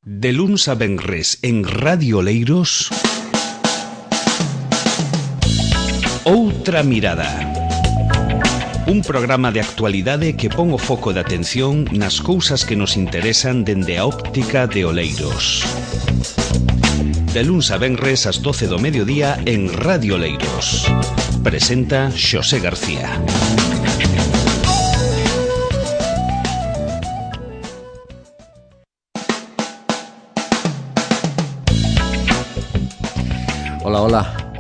De luns a venres en Radio Oleiros, Outra Mirada. Un programa de actualidade que pon o foco de atención nas cousas que nos interesan dende a óptica de Oleiros. De luns a venres ás 12 do mediodía en Radio Oleiros. Presenta Xosé García.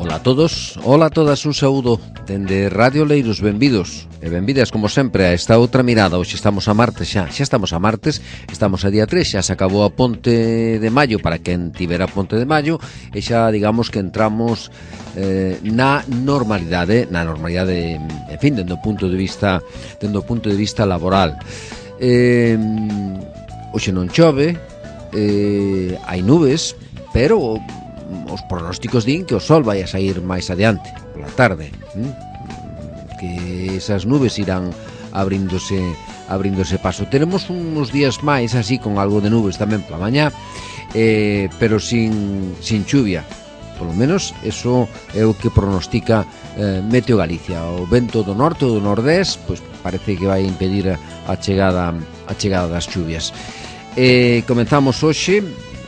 Ola a todos, ola a todas, un saúdo dende Radio Oleiros, benvidos e benvidas como sempre a esta outra mirada. Hoxe estamos a martes, xa estamos a martes, estamos a día 3, xa se acabou a Ponte de Maio para quen tivera Ponte de Maio e xa digamos que entramos na normalidade, en fin, dende o punto de vista laboral. Hoxe non chove, hai nubes, pero os pronósticos din que o sol vai a sair máis adiante, pola tarde, que esas nubes irán abríndose paso. Teremos uns días máis así con algo de nubes tamén pola mañá, pero sin chuvia. Polo menos eso é o que pronostica Meteo Galicia. O vento do norte ou do nordés pois parece que vai impedir a chegada das chuvias. Comenzamos hoxe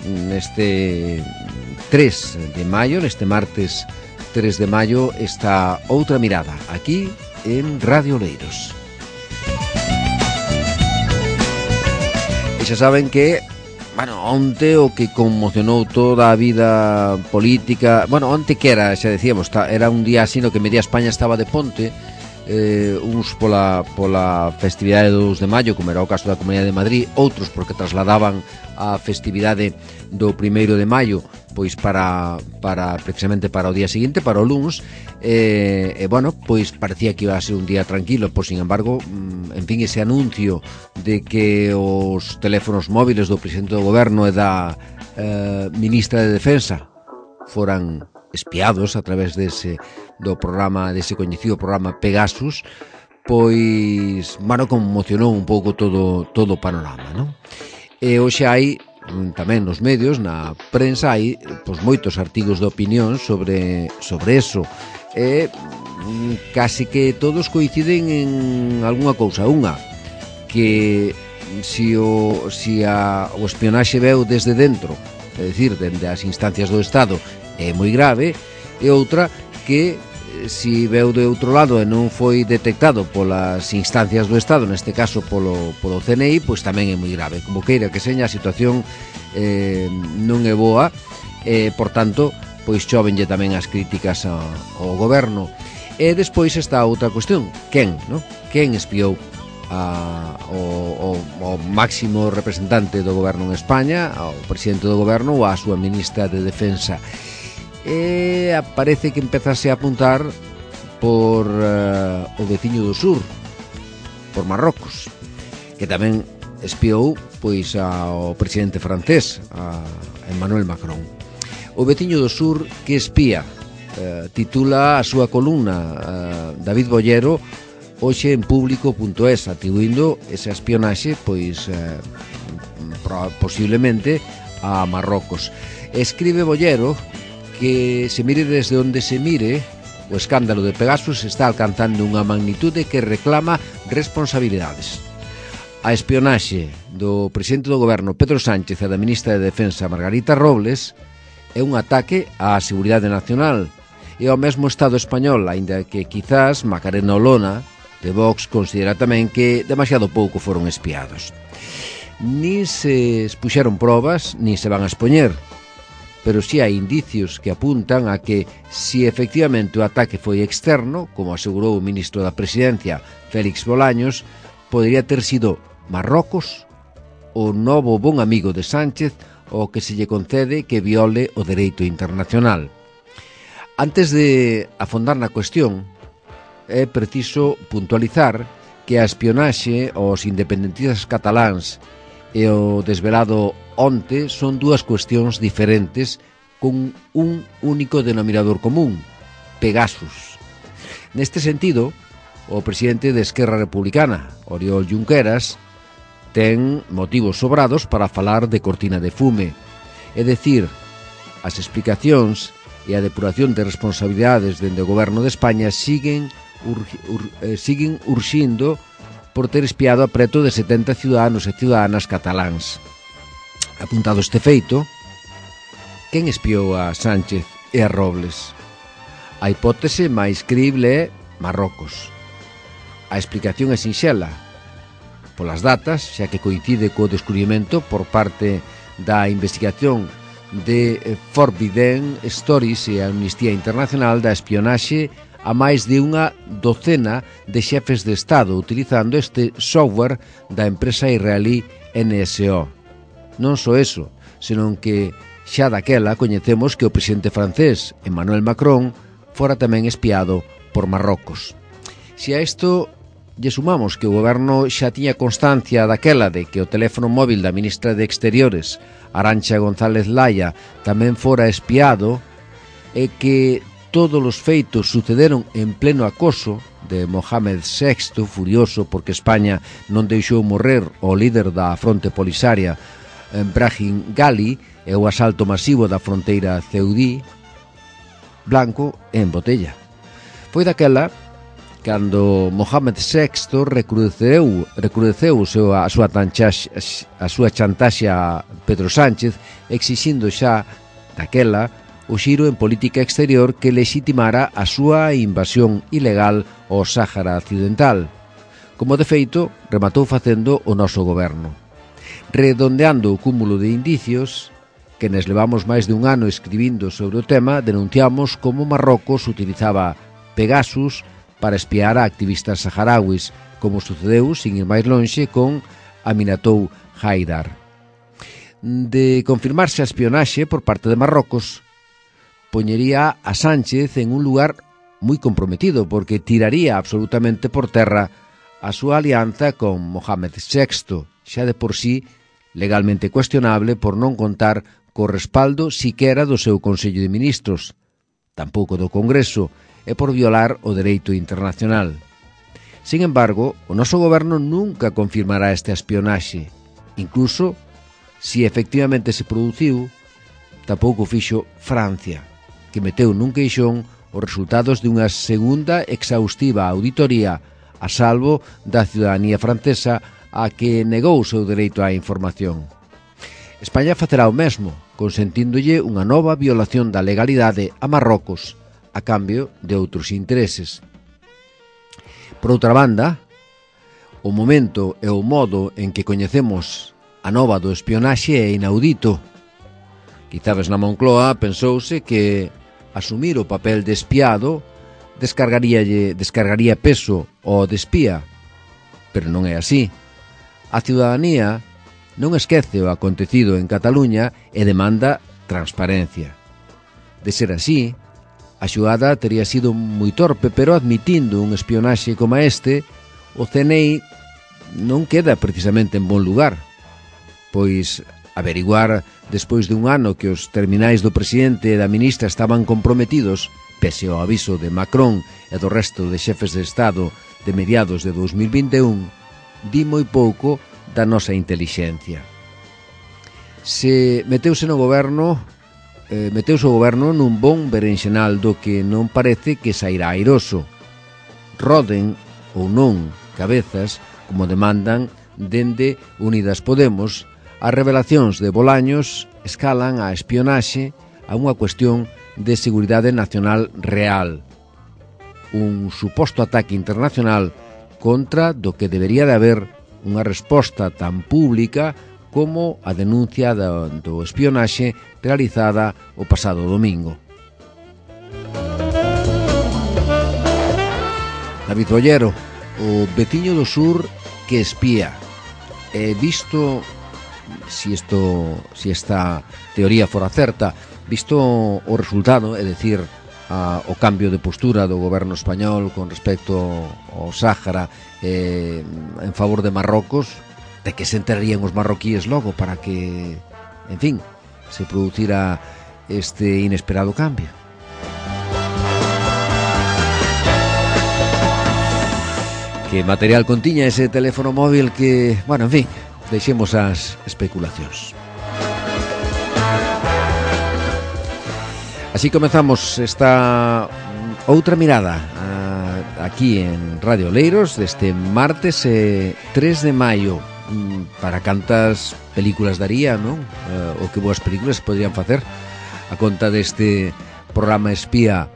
neste 3 de maio, neste martes 3 de maio, esta outra mirada, aquí en Radio Oleiros. E xa saben que, onte o que conmocionou toda a vida política, onte que era, xa decíamos, era un día así no que media España estaba de ponte, uns pola festividade do 2 de maio, como era o caso da Comunidade de Madrid, outros porque trasladaban a festividade do 1º de maio pois para precisamente para o día seguinte, para o luns, pois parecía que iba a ser un día tranquilo, pois sin embargo, en fin, ese anuncio de que os teléfonos móviles do presidente do goberno e da ministra de Defensa foran espiados a través dese coñecido programa Pegasus, pois, conmocionou un pouco todo o panorama, non? E hoxe hai tamén nos medios, na prensa, hai pois moitos artigos de opinión sobre eso, e casi que todos coinciden en algunha cousa. Unha, que si o espionaxe veu desde dentro, é dicir, dende as instancias do Estado, é moi grave, e outra, que si veu de outro lado e non foi detectado polas instancias do Estado, neste caso polo CNI, pois tamén é moi grave. Como queira que seña, a situación non é boa, por tanto, pois chovenlle tamén as críticas ao goberno. E despois está outra cuestión, quen espiou ao máximo representante do goberno en España, ao presidente do goberno ou á súa ministra de Defensa. E parece que empezase a apuntar por o veciño do sur, por Marrocos, que tamén espiou pois ao presidente francés, a Emmanuel Macron. O veciño do sur que espía, titula a súa columna David Bollero hoxe en público.es, atribuindo esa espionaxe pois posiblemente a Marrocos. Escribe Bollero que se mire desde onde se mire, o escándalo de Pegasus está alcanzando unha magnitude que reclama responsabilidades. A espionaxe do presidente do goberno Pedro Sánchez e da ministra de Defensa Margarita Robles é un ataque á seguridade nacional e ao mesmo Estado español, aínda que quizás Macarena Olona de Vox considera tamén que demasiado pouco foron espiados. Nin se expuxeron probas, nin se van a expoñer, pero si hai indicios que apuntan a que si efectivamente o ataque foi externo, como asegurou o ministro da Presidencia, Félix Bolaños, podría ter sido Marrocos, o novo bon amigo de Sánchez, o que se lle concede que viole o dereito internacional. Antes de afondar na cuestión, é preciso puntualizar que a espionaxe aos independentistas cataláns e o desvelado onte son dúas cuestións diferentes con un único denominador común, Pegasus. Neste sentido, o presidente de Esquerra Republicana, Oriol Junqueras, ten motivos sobrados para falar de cortina de fume. É dicir, as explicacións e a depuración de responsabilidades dende o goberno de España siguen urxindo por ter espiado a preto de 70 ciudadanos e ciudadanas cataláns. Apuntado este feito, quen espiou a Sánchez e a Robles? A hipótese máis creíble é Marrocos. A explicación é sinxela. Polas datas, xa que coincide co descubrimento por parte da investigación de Forbidden Stories e a Amnistía Internacional da espionaxe a máis de unha docena de xefes de Estado utilizando este software da empresa israelí NSO. Non só eso, senón que xa daquela coñecemos que o presidente francés, Emmanuel Macron, fora tamén espiado por Marrocos. Se a isto lle sumamos que o goberno xa tiña constancia daquela de que o teléfono móvil da ministra de Exteriores, Arantxa González Laya, tamén fora espiado, e que todos os feitos sucederon en pleno acoso de Mohamed VI, furioso porque España non deixou morrer o líder da fronte polisaria, Brahim Ghali, e o asalto masivo da fronteira ceudí, blanco en botella. Foi daquela cando Mohamed VI recrudeceu a súa chantaxe a Pedro Sánchez, exixindo xa daquela o xiro en política exterior que lexitimara a súa invasión ilegal ao Sáhara Occidental, como de feito rematou facendo o noso goberno. Redondeando o cúmulo de indicios, quenes levamos máis de un ano escribindo sobre o tema, denunciamos como Marrocos utilizaba Pegasus para espiar a activistas saharauis, como sucedeu, sin ir máis lonxe, con Aminatou Haidar. De confirmarse a espionaxe por parte de Marrocos, poñería a Sánchez en un lugar moi comprometido, porque tiraría absolutamente por terra a súa alianza con Mohamed VI, xa de por sí legalmente cuestionable por non contar co respaldo siquera do seu Consello de Ministros, tampouco do Congreso, e por violar o dereito internacional. Sin embargo, o noso goberno nunca confirmará esta espionaxe. Incluso, se efectivamente se produciu, tampouco fixo Francia, que meteu nun queixón os resultados de unha segunda exhaustiva auditoría a salvo da ciudadanía francesa a que negou o seu dereito á información. España facerá o mesmo, consentíndolle unha nova violación da legalidade a Marrocos, a cambio de outros intereses. Por outra banda, o momento e o modo en que coñecemos a nova do espionaxe é inaudito. Quizás na Moncloa pensouse que asumir o papel de espiado descargaría peso ao de espía, pero non é así. A ciudadanía non esquece o acontecido en Cataluña e demanda transparencia. De ser así, a xogada tería sido moi torpe, pero admitindo un espionaxe como este, o CNI non queda precisamente en bon lugar, pois averiguar despois de un ano que os terminais do presidente e da ministra estaban comprometidos, pese ao aviso de Macron e do resto de xefes de Estado de mediados de 2021, di moi pouco da nosa intelixencia. Se meteuse o goberno nun bon berenxenal do que non parece que sairá airoso. Roden ou non cabezas, como demandan dende Unidas Podemos, as revelacións de Bolaños escalan a espionaxe a unha cuestión de seguridade nacional real. Un suposto ataque internacional contra do que debería de haber unha resposta tan pública como a denuncia do espionaxe realizada o pasado domingo. David Bollero, o veciño do sur que espía. Visto, si esta teoría fora certa, visto o resultado, é dicir, o cambio de postura do goberno español con respecto ao Sáhara en favor de Marrocos, de que se enterarían os marroquíes logo para que, en fin, se producira este inesperado cambio. Que material contiña ese teléfono móvil que, bueno, en fin, deixemos as especulacións. Así comezamos esta outra mirada aquí en Radio Oleiros deste martes 3 de maio. Para cantas películas daría, non? O que boas películas podrían facer a conta deste programa espía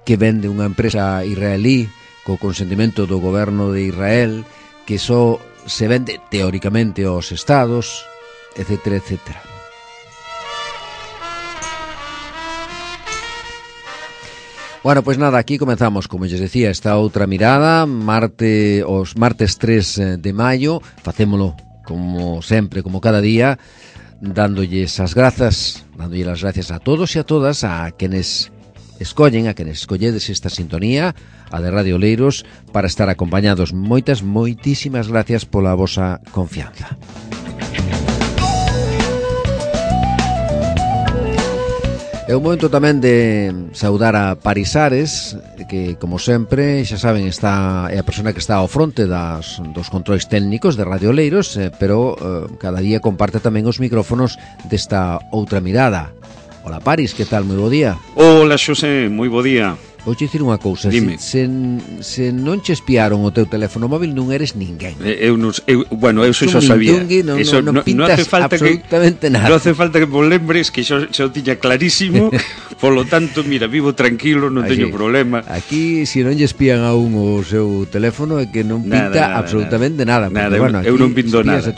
que vende unha empresa israelí co consentimento do goberno de Israel, que só se vende teóricamente aos estados, etcétera, etcétera. Bueno, pois nada, aquí comenzamos, como lles decía, esta outra mirada, os martes 3 de maio, facémolo como sempre, como cada día, dándolles as grazas a todos e a todas, a quenes escolledes esta sintonía, a de Radio Oleiros, para estar acompañados. Moitísimas gracias pola vosa confianza. É un momento tamén de saudar a Paris Ares, que, como sempre, xa saben, é a persona que está ao fronte dos controis técnicos de Radio Oleiros, pero cada día comparte tamén os micrófonos desta outra mirada. Hola, Paris, que tal? Moi bo día. Hola, Xosé, moi bo día. Vou te dicir unha cousa, se non che espiaron o teu teléfono móvil non eres ninguén. Bueno, eu xa sabía. Non pintas absolutamente nada. Non hace falta que vos lembres que xa o tiña clarísimo. Polo tanto, mira, vivo tranquilo, non teño problema. Aquí, se non lle espían a un o seu teléfono, é que non pinta absolutamente nada. Nada, eu non pinto nada.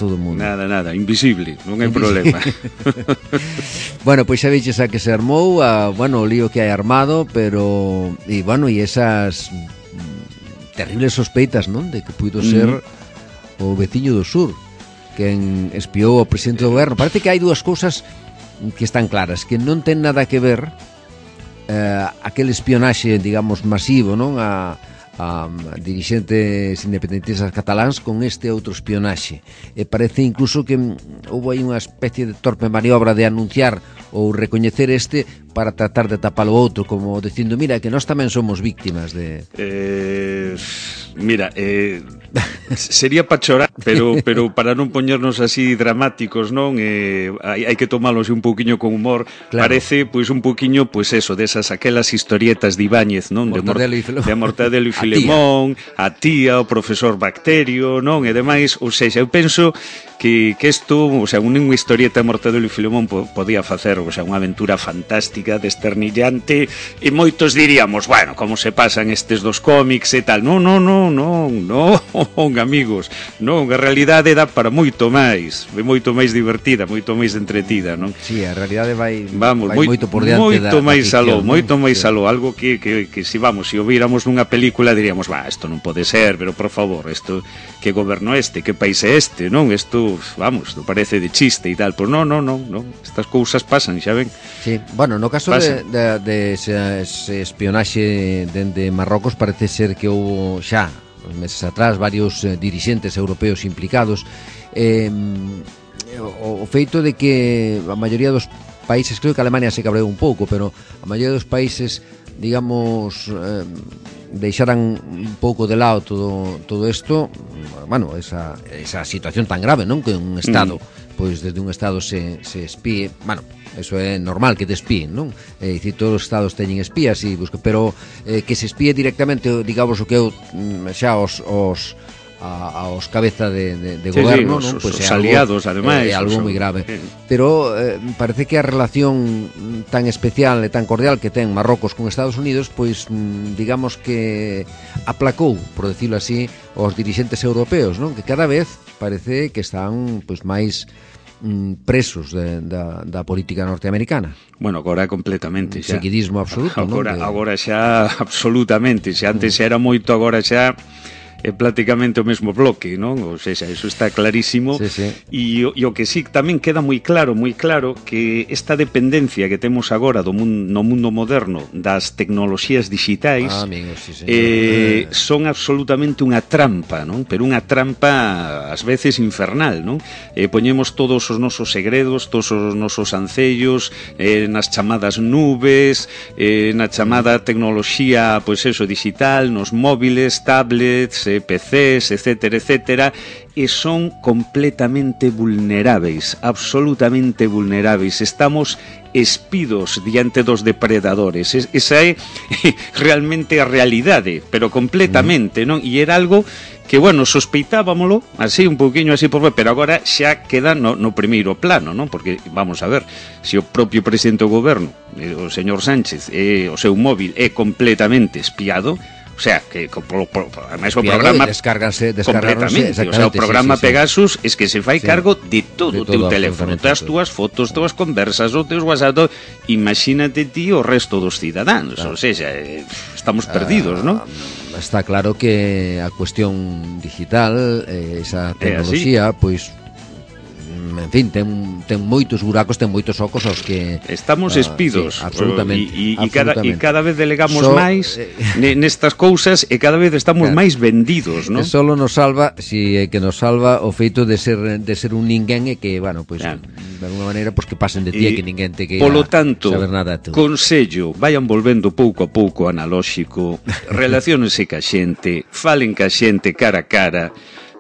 Nada, invisible, non hai problema. Bueno, pois xa viches a que se armou, o lío que hai armado, pero... E esas terribles sospeitas, non? De que puido ser o veciño do sur quen espiou o presidente do goberno. Parece que hai dúas cousas que están claras, que non ten nada que ver aquel espionaxe, digamos, masivo, non? A dirixentes independentistas cataláns con este outro espionaxe. E parece incluso que houve aí unha especie de torpe maniobra de anunciar ou recoñecer este para tratar de tapar o outro, como dicindo, mira, que nós tamén somos víctimas de... Sería para chorar, pero para non poñernos así dramáticos, non? Hai que tomalos un pouquiño con humor. Claro. Parece, pois, un pouquiño, pois eso, desas aquelas historietas de Ibáñez, non? Mortadelo de Mortadelo e Filemón, a tía, o profesor Bacterio, non? E demais, ou seja, eu penso que isto, o sea, unha historieta de Mortadelo e Filemón podía facer, o sea, unha aventura fantástica, desternillante, e moitos diríamos, bueno, como se pasan estes dos cómics e tal. Non, amigos, non, a realidade dá para moito máis, moito máis divertida, moito máis entretida, non? Sí, a realidade vai moito por diante moito máis aló, moito máis aló, algo que se o víramos nunha película diríamos, isto non pode ser, pero por favor, isto, que goberno este, que país é este, non? Isto, vamos, non parece de chiste e tal, pois non, estas cousas pasan, xa ven. Sí, bueno, no caso de ese espionaxe dende Marrocos parece ser que houve xa meses atrás varios dirixentes europeos implicados. O feito de que a maioría dos países, creo que Alemania se cabreou un pouco, pero a maioría dos países, digamos, deixaran un pouco de lado todo isto, bueno, esa situación tan grave, non? Que un Estado, pois desde un Estado se espíe, bueno, eso é normal que te espíen, non? É dicir, todos os estados teñen espías, pero que se espíe directamente, digamos, o que eu xa aos cabeza de goberno, non? Pois os aliados, ademais, é algo moi grave. Pero parece que a relación tan especial e tan cordial que ten Marrocos con Estados Unidos, pois digamos que aplacou, por decirlo así, os dirixentes europeos, non? Que cada vez parece que están pois máis presos da política norteamericana. Bueno, agora completamente xa. Seguidismo absoluto, agora xa absolutamente, xa antes xa era moito, agora xa é prácticamente o mesmo bloque, non? Ou seja, eso está clarísimo. Sí. E o que sí tamén queda moi claro que esta dependencia que temos agora no mundo moderno das tecnoloxías digitais son absolutamente unha trampa, non? Pero unha trampa ás veces infernal, non? Poñemos todos os nosos segredos, todos os nosos ancellos nas chamadas nubes, na chamada tecnoloxía, pois eso, digital, nos móviles, tablets, PCs, etcétera, etcétera, e son completamente vulneráveis, absolutamente vulneráveis. Estamos espidos diante dos depredadores. Esa é realmente a realidade, pero completamente, non? E era algo que, bueno, sospeitábamolo así, un pouquiño así por ver, pero agora xa queda no primeiro plano, non? Porque, vamos a ver, se o propio presidente do goberno, o señor Sánchez, o seu móvil é completamente espiado, o sea, que además o programa completamente, o sea, o programa Pegasus es que se fai cargo de todo o teu teléfono, das túas fotos, túas conversas, os teus WhatsApp, imagínate ti o resto dos cidadáns, o sea, estamos perdidos, non? Está claro que a cuestión digital, esa tecnoloxía, pois en fin, ten moitos buracos, ten moitos ocos aos que estamos espidos, sí, absolutamente, e cada vez delegamos máis nestas cousas e cada vez estamos máis vendidos, non? Solo nos salva, si que nos salva o feito de ser un ninguén e que, bueno, pois de alguma maneira pois que pasen de ti e que ninguén te queira saber nada tú. Consello, vayan volvendo pouco a pouco analóxico, relaciónense ca xente, falen ca xente cara a cara,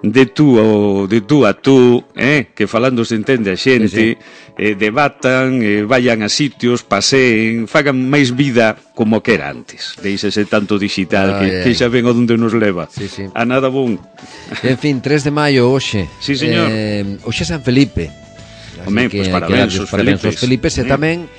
de tú a tú, que falando se entende a xente, debatan, vayan a sitios, paseen, fagan máis vida como que era antes. Deixese tanto digital que xa ven onde nos leva. A nada bon. En fin, 3 de maio hoxe. Sí, señor. Hoxe San Felipe. Home, pois parabéns aos Felipes. E tamén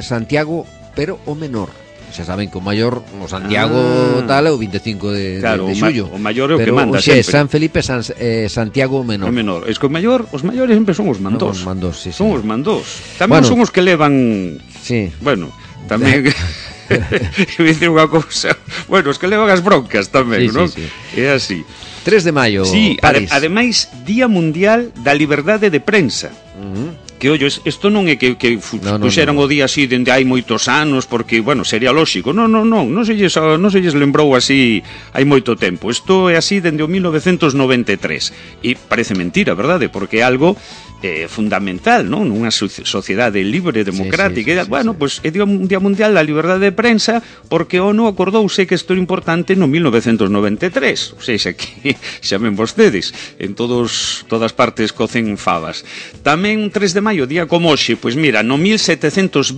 Santiago, pero o menor. Xa saben que o maior, o Santiago tal, é o 25 de xullo. O maior é o que manda sempre. San Felipe, Santiago o menor. O menor. Es que os maiores sempre son os mandós. Son os mandós. Tamén son os que levan... Sí. Bueno, tamén... Eu dicir unha cousa. Bueno, os que levan as broncas tamén, non? É así. 3 de maio, París. Ademais, Día Mundial da Liberdade de Prensa. Que, ollo, isto non é que puxeran o día así dende hai moitos anos, porque, bueno, sería lóxico. Non se lles lembrou así hai moito tempo. Isto é así dende o 1993. E parece mentira, verdade? Porque é algo fundamental, non? Nunha sociedade libre, democrática. Bueno, pois é un Día Mundial da Liberdade de Prensa porque a ONU acordouse que isto era importante no 1993. Ou seja, que xa ven vostedes, en todas partes cocen fabas. Tamén 3 de maio, día como hoxe, pois mira, no 1721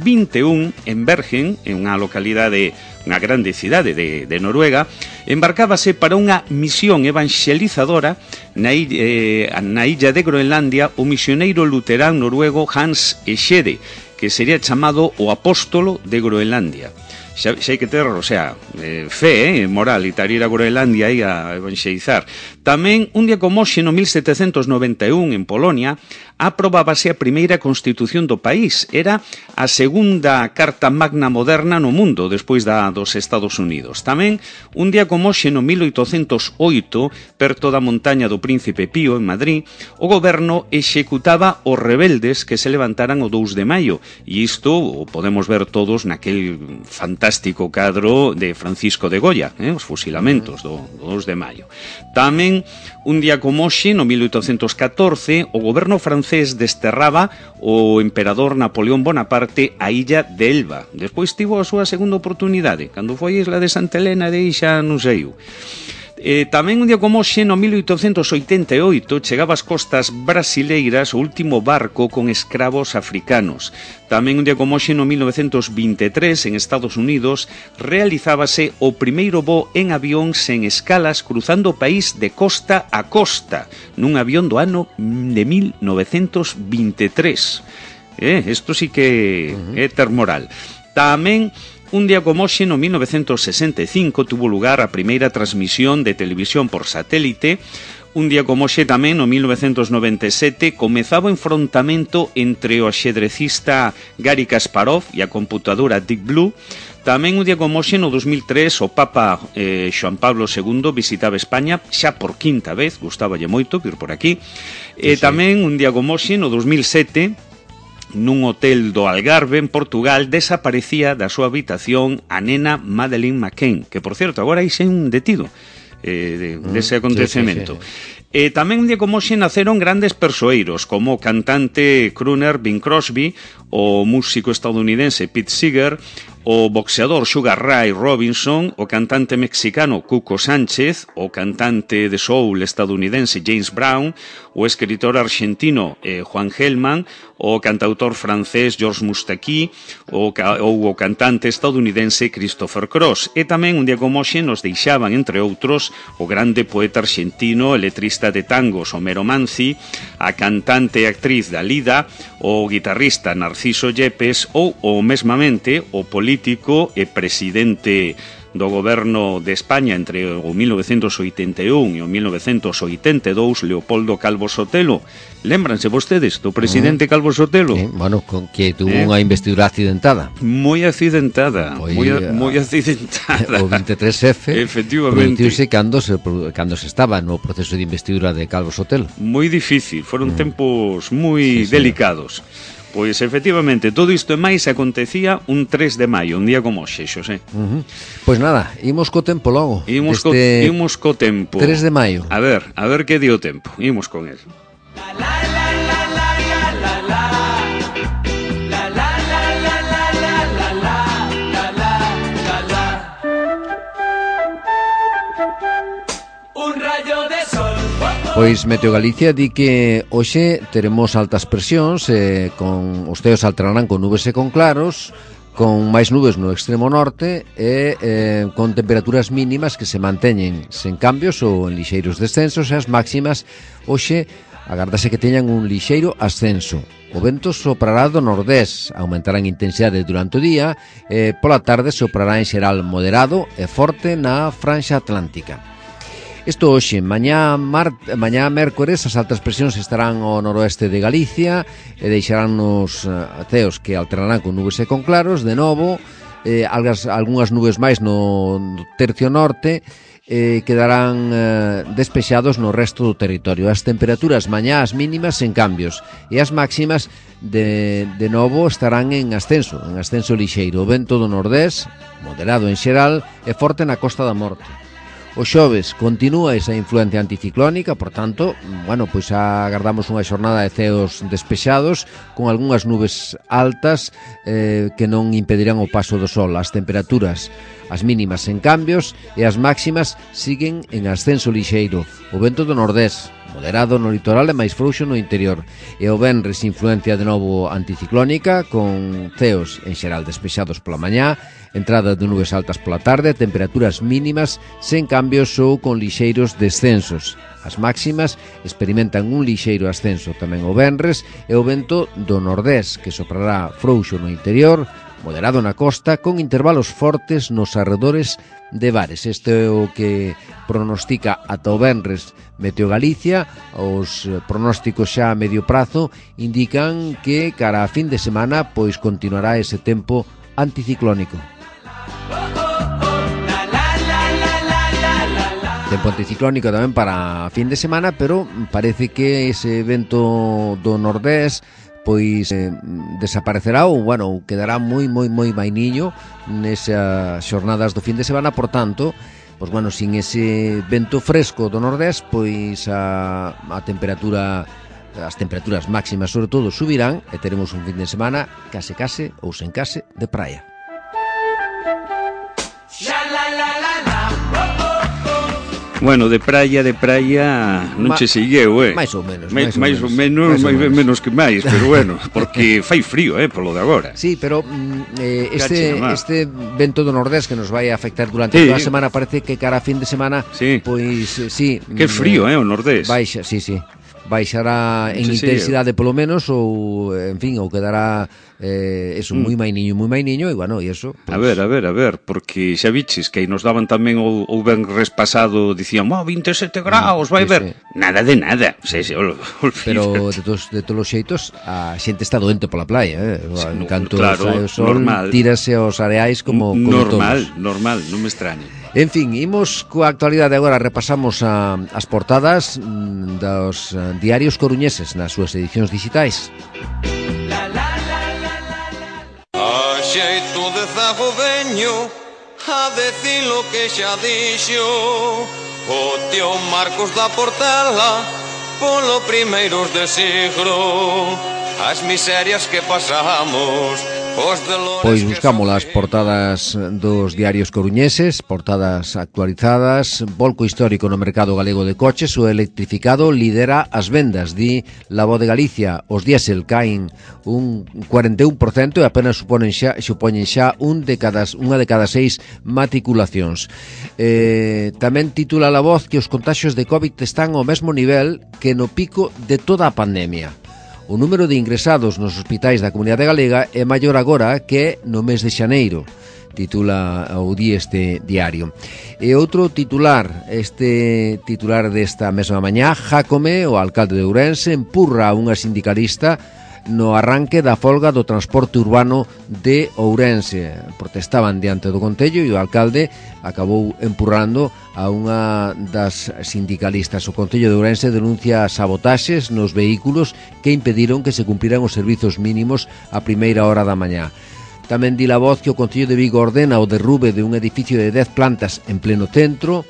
en Bergen, en unha localidade, unha grande cidade de Noruega, embarcábase para unha misión evangelizadora na illa de Groenlandia o misioneiro luterán noruego Hans Egede, que sería chamado o apóstolo de Groenlandia. Xa hai que ter, o sea, fe, moral, e ir a Groenlandia e a evangelizar. Tamén, un día como hoxe, no 1791, en Polonia, aprobábase a primeira constitución do país. Era a segunda carta magna moderna no mundo, despois dos Estados Unidos. Tamén, un día como hoxe, no 1808, perto da montaña do Príncipe Pío, en Madrid, o goberno executaba os rebeldes que se levantaran o 2 de maio. E isto o podemos ver todos naquel fantástico cadro de Francisco de Goya, os fusilamentos do 2 de maio. Tamén, un día como hoxe, no 1814, o goberno francés desterraba o emperador Napoleón Bonaparte a illa de Elba. Despois tivo a súa segunda oportunidade, cando foi a isla de Santa Helena, de aí xa non saiu. Tamén un día como hoxe, no 1888, chegaba ás costas brasileiras o último barco con escravos africanos. Tamén un día como hoxe, no 1923, en Estados Unidos, realizábase o primeiro voo en avión sen escalas cruzando o país de costa a costa, nun avión do ano de 1923. Isto sí que é termoral. Tamén, un día como hoxe, no 1965, tuvo lugar a primeira transmisión de televisión por satélite. Un día como hoxe tamén, no 1997, comezaba o enfrontamento entre o axedrecista Garry Kasparov e a computadora Deep Blue. Tamén un día como hoxe, no 2003, o Papa Xoán Pablo II visitaba España xa por quinta vez, gustáballe moito vir por aquí. Tamén un día como hoxe, no 2007, nun hotel do Algarve, en Portugal, desaparecía da súa habitación a nena Madeleine McCann, que, por certo, agora hai un detido dese acontecemento. Tamén un día como hoxe naceron grandes persoeiros, como o cantante crooner Bing Crosby, o músico estadounidense Pete Seeger, o boxeador Sugar Ray Robinson, o cantante mexicano Cuco Sánchez, o cantante de soul estadounidense James Brown, o escritor argentino Juan Gelman, o cantautor francés Georges Moustaki, ou o cantante estadounidense Christopher Cross. E tamén un día como hoxe nos deixaban, entre outros, o grande poeta argentino e letrista de tangos Homero Manzi, a cantante e actriz Dalida, o guitarrista Narciso Yepes ou mesmamente o político e presidente do goberno de España entre o 1981 e o 1982, Leopoldo Calvo Sotelo. Lémbranse vostedes do presidente Calvo Sotelo? Bueno, que tuvo unha investidura accidentada. Moi accidentada, moi accidentada. O 23F efectivamente produciuse cando se estaba no proceso de investidura de Calvo Sotelo. Moi difícil, foron tempos moi delicados. Pois, efectivamente, todo isto e máis acontecía un 3 de maio, un día como hoxe, Xosé. Pois nada, imos co tempo logo. Imos co tempo. 3 de maio. A ver que di o tempo. Imos con él. Pois Meteo Galicia di que hoxe teremos altas presións, con os ceos alternarán con nubes e con claros, con máis nubes no extremo norte e con temperaturas mínimas que se manteñen sen cambios ou en lixeiros descensos, e as máximas hoxe agárdase que teñan un lixeiro ascenso. O vento soprará do nordés, aumentará en intensidade durante o día e pola tarde soprará en xeral moderado e forte na franxa atlántica. Isto hoxe, mañá mércores, as altas presións estarán ao noroeste de Galicia e deixarán nos ceos que alternarán con nubes e con claros, de novo, algunhas nubes máis no tercio norte, quedarán despexados no resto do territorio. As temperaturas mañá as mínimas sen cambios e as máximas de novo estarán en ascenso lixeiro. O vento do nordés, moderado en xeral, e forte na Costa da Morte. O xoves continúa esa influencia anticiclónica, por tanto, pois agardamos unha xornada de ceos despexados con algunhas nubes altas que non impedirán o paso do sol. As temperaturas, as mínimas en cambios e as máximas siguen en ascenso lixeiro. O vento do nordés, moderado no litoral e máis frouxo no interior. E o venres influencia de novo anticiclónica con ceos en xeral despexados pola mañá, entrada de nubes altas pola tarde, temperaturas mínimas sen cambios ou con lixeiros descensos. As máximas experimentan un lixeiro ascenso tamén o venres e o vento do nordés que soprará frouxo no interior, moderado na costa, con intervalos fortes nos arredores de bares. Este é o que pronostica ata o venres Meteo Galicia. Os pronósticos xa a medio prazo indican que cara a fin de semana pois continuará ese tempo anticiclónico. Tempo anticiclónico tamén para fin de semana, pero parece que ese vento do nordés pois desaparecerá ou quedará moi vainiño nesas xornadas do fin de semana. Por tanto, pois sin ese vento fresco do nordés, pois a temperatura, as temperaturas máximas sobre todo subirán e teremos un fin de semana case ou sen case de praia. Bueno, de praia non che segueu, máis ou menos, menos que máis, pero bueno, porque fai frío, polo de agora. Sí, pero este vento do nordés que nos vai a afectar durante toda a semana, parece que cara a fin de semana, pois sí, que frío, o nordés. Baixa, sí. Baixará en intensidade polo menos ou, en fin, ou quedará eso moi mainiño e e eso pues... A ver, porque xa biches que aí nos daban tamén o venres pasado, dicían 27 graus, vai ver nada de nada, pero de todos os xeitos a xente está doente pola playa, en canto sae o sol, tírase aos areais como normal, non me extraña. En fin, imos coa actualidade agora, repasamos as portadas dos diarios coruñeses nas súas edicións digitais. A xeito de zago veño a decir lo que xa dixo o tío Marcos da Portela polo primeiros de siglo. as miserias que pasamos. Pois buscamos as portadas dos diarios coruñeses, portadas actualizadas. Volco histórico no mercado galego de coches. O electrificado lidera as vendas, di La Voz de Galicia. Os diésel caen un 41% e apenas supoñen xa unha de cada 6 matriculacións. Tamén titula La Voz que os contaxios de COVID están ao mesmo nivel que no pico de toda a pandemia. O número de ingresados nos hospitais da Comunidade Galega é maior agora que no mes de xaneiro, titula o di este diario. E outro titular, este titular desta mesma mañá, Jácome, o alcalde de Ourense, empurra a unha sindicalista no arranque da folga do transporte urbano de Ourense. Protestaban diante do Concello e o alcalde acabou empurrando a unha das sindicalistas. O Concello de Ourense denuncia sabotaxes nos vehículos que impediron que se cumpriran os servizos mínimos a primeira hora da mañá. Tamén di La Voz que o Concello de Vigo ordena o derrube de un edificio de 10 plantas en pleno centro,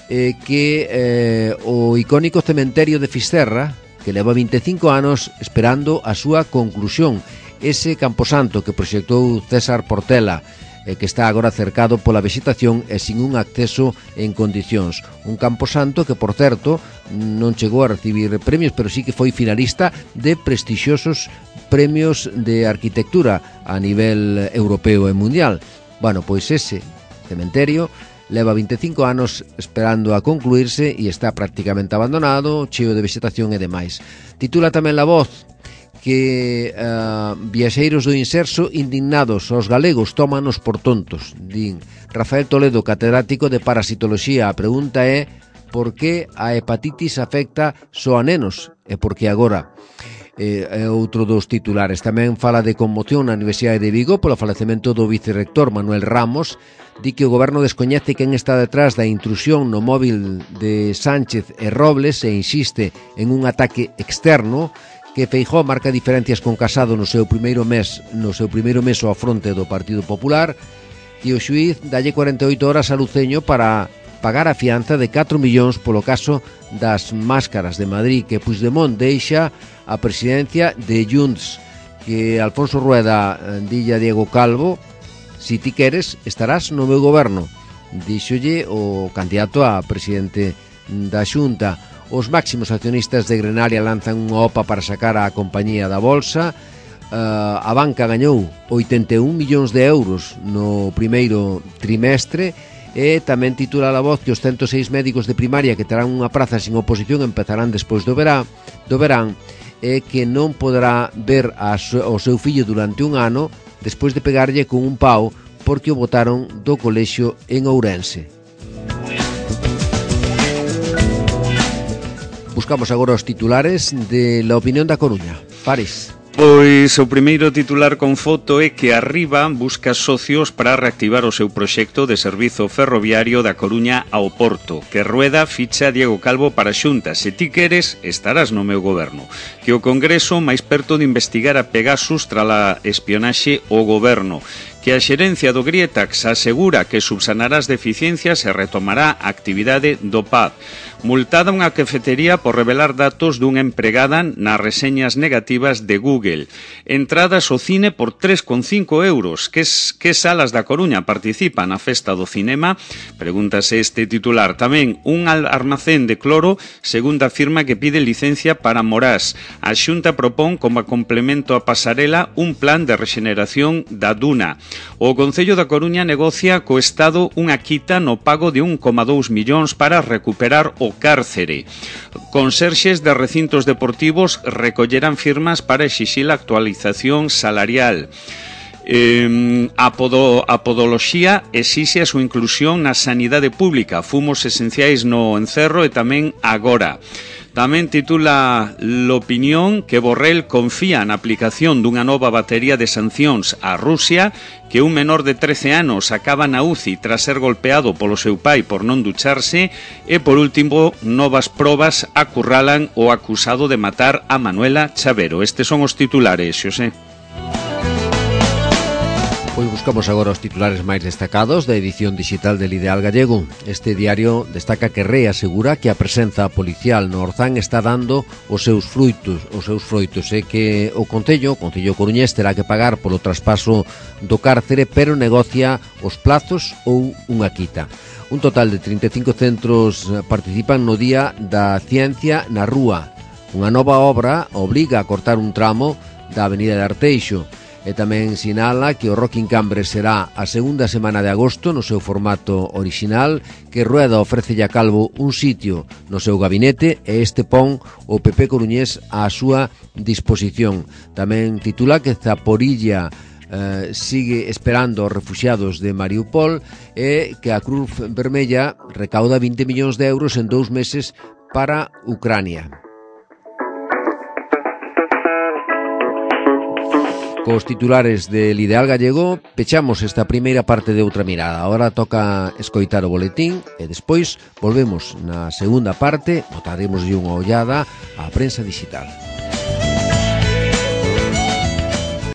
que o icónico cementerio de Fisterra, que leva 25 anos esperando a súa conclusión. Ese camposanto que proxectou César Portela, que está agora cercado pola vexetación e sin un acceso en condicións. Un camposanto que, por certo, non chegou a recibir premios, pero sí que foi finalista de prestixiosos premios de arquitectura a nivel europeo e mundial. Bueno, pois ese cementerio leva 25 anos esperando a concluirse e está prácticamente abandonado, cheo de vegetación e demais. Titula tamén La Voz que viaxeiros do Inserso indignados, os galegos tómanos por tontos, din Rafael Toledo, catedrático de parasitoloxía. A pregunta é por que a hepatitis afecta só a nenos e por que agora? É outro dos titulares. Tamén fala de conmoción na Universidade de Vigo polo falecemento do vicerrector Manuel Ramos. Di que o goberno descoñece quen está detrás da intrusión no móvil de Sánchez e Robles e insiste en un ataque externo, que Feijóo marca diferencias con Casado no seu primeiro mes ao fronte do Partido Popular, e o xuíz dalle 48 horas a Luceño para pagar a fianza de 4 millóns polo caso das máscaras de Madrid, que Puigdemont deixa a presidencia de Junts, que Alfonso Rueda dille a Diego Calvo: si ti queres, estarás no meu goberno, díxolle o candidato a presidente da Xunta. Os máximos accionistas de Grenalia lanzan unha OPA para sacar a compañía da bolsa. A banca gañou 81 millóns de euros no primeiro trimestre. E tamén titula La Voz que os 106 médicos de primaria que terán unha praza sin oposición empezarán despois do verán, e que non poderá ver o seu fillo durante un ano despois de pegarlle con un pau porque o botaron do colexio en Ourense. Buscamos agora os titulares de La Opinión da Coruña. Paris. Pois o primeiro titular con foto é que Arriba busca socios para reactivar o seu proxecto de servizo ferroviario da Coruña ao Porto, que Rueda ficha a Diego Calvo para Xunta. Se ti queres, estarás no meu goberno. Que o Congreso máis perto de investigar a Pegasus trala espionaxe ao goberno. Que a xerencia do Grietax asegura que subsanará as deficiencias e retomará a actividade do PAD. Multada unha cafetería por revelar datos dunha empregada nas reseñas negativas de Google. Entradas ao cine por 3,5 euros. Que salas da Coruña participan na festa do cinema? Pregúntase este titular. Tamén un almacén de cloro, segunda firma que pide licencia para Morás. A Xunta propón como complemento a pasarela un plan de rexeneración da duna. O Concello da Coruña negocia co Estado unha quita no pago de 1,2 millóns para recuperar o cárcere. Conserxes de recintos deportivos recollerán firmas para exixir a actualización salarial. A podoloxía exixe a súa inclusión na sanidade pública. Fumos esenciais no encerro e tamén agora. Tamén titula L'Opinión que Borrell confía na aplicación dunha nova batería de sancións a Rusia, que un menor de 13 anos acaba na UCI tras ser golpeado polo seu pai por non ducharse, e por último, novas probas acurralan o acusado de matar a Manuela Chavero. Estes son os titulares, Xosé. Pois buscamos agora os titulares máis destacados da edición digital del Ideal Gallego. Este diario destaca que Rei asegura que a presenza policial no Orzán está dando os seus froitos e que o Concello Coruñés terá que pagar polo traspaso do cárcere, pero negocia os plazos ou unha quita. Un total de 35 centros participan no Día da Ciencia na Rúa. Unha nova obra obriga a cortar un tramo da Avenida de Arteixo. E tamén sinala que o Rock in Cambre será a segunda semana de agosto no seu formato orixinal, que Rueda ofrécelle a Calvo un sitio no seu gabinete e este pon o PP coruñés á súa disposición. Tamén titula que Zaporilla sigue esperando aos refuxiados de Mariupol e que a Cruz Vermella recauda 20 millóns de euros en 2 meses para Ucrania. Cos titulares del Ideal Gallego pechamos esta primeira parte de Outra Mirada. Ahora toca escoitar o boletín e despois volvemos na segunda parte, botaremos unha ollada á prensa digital.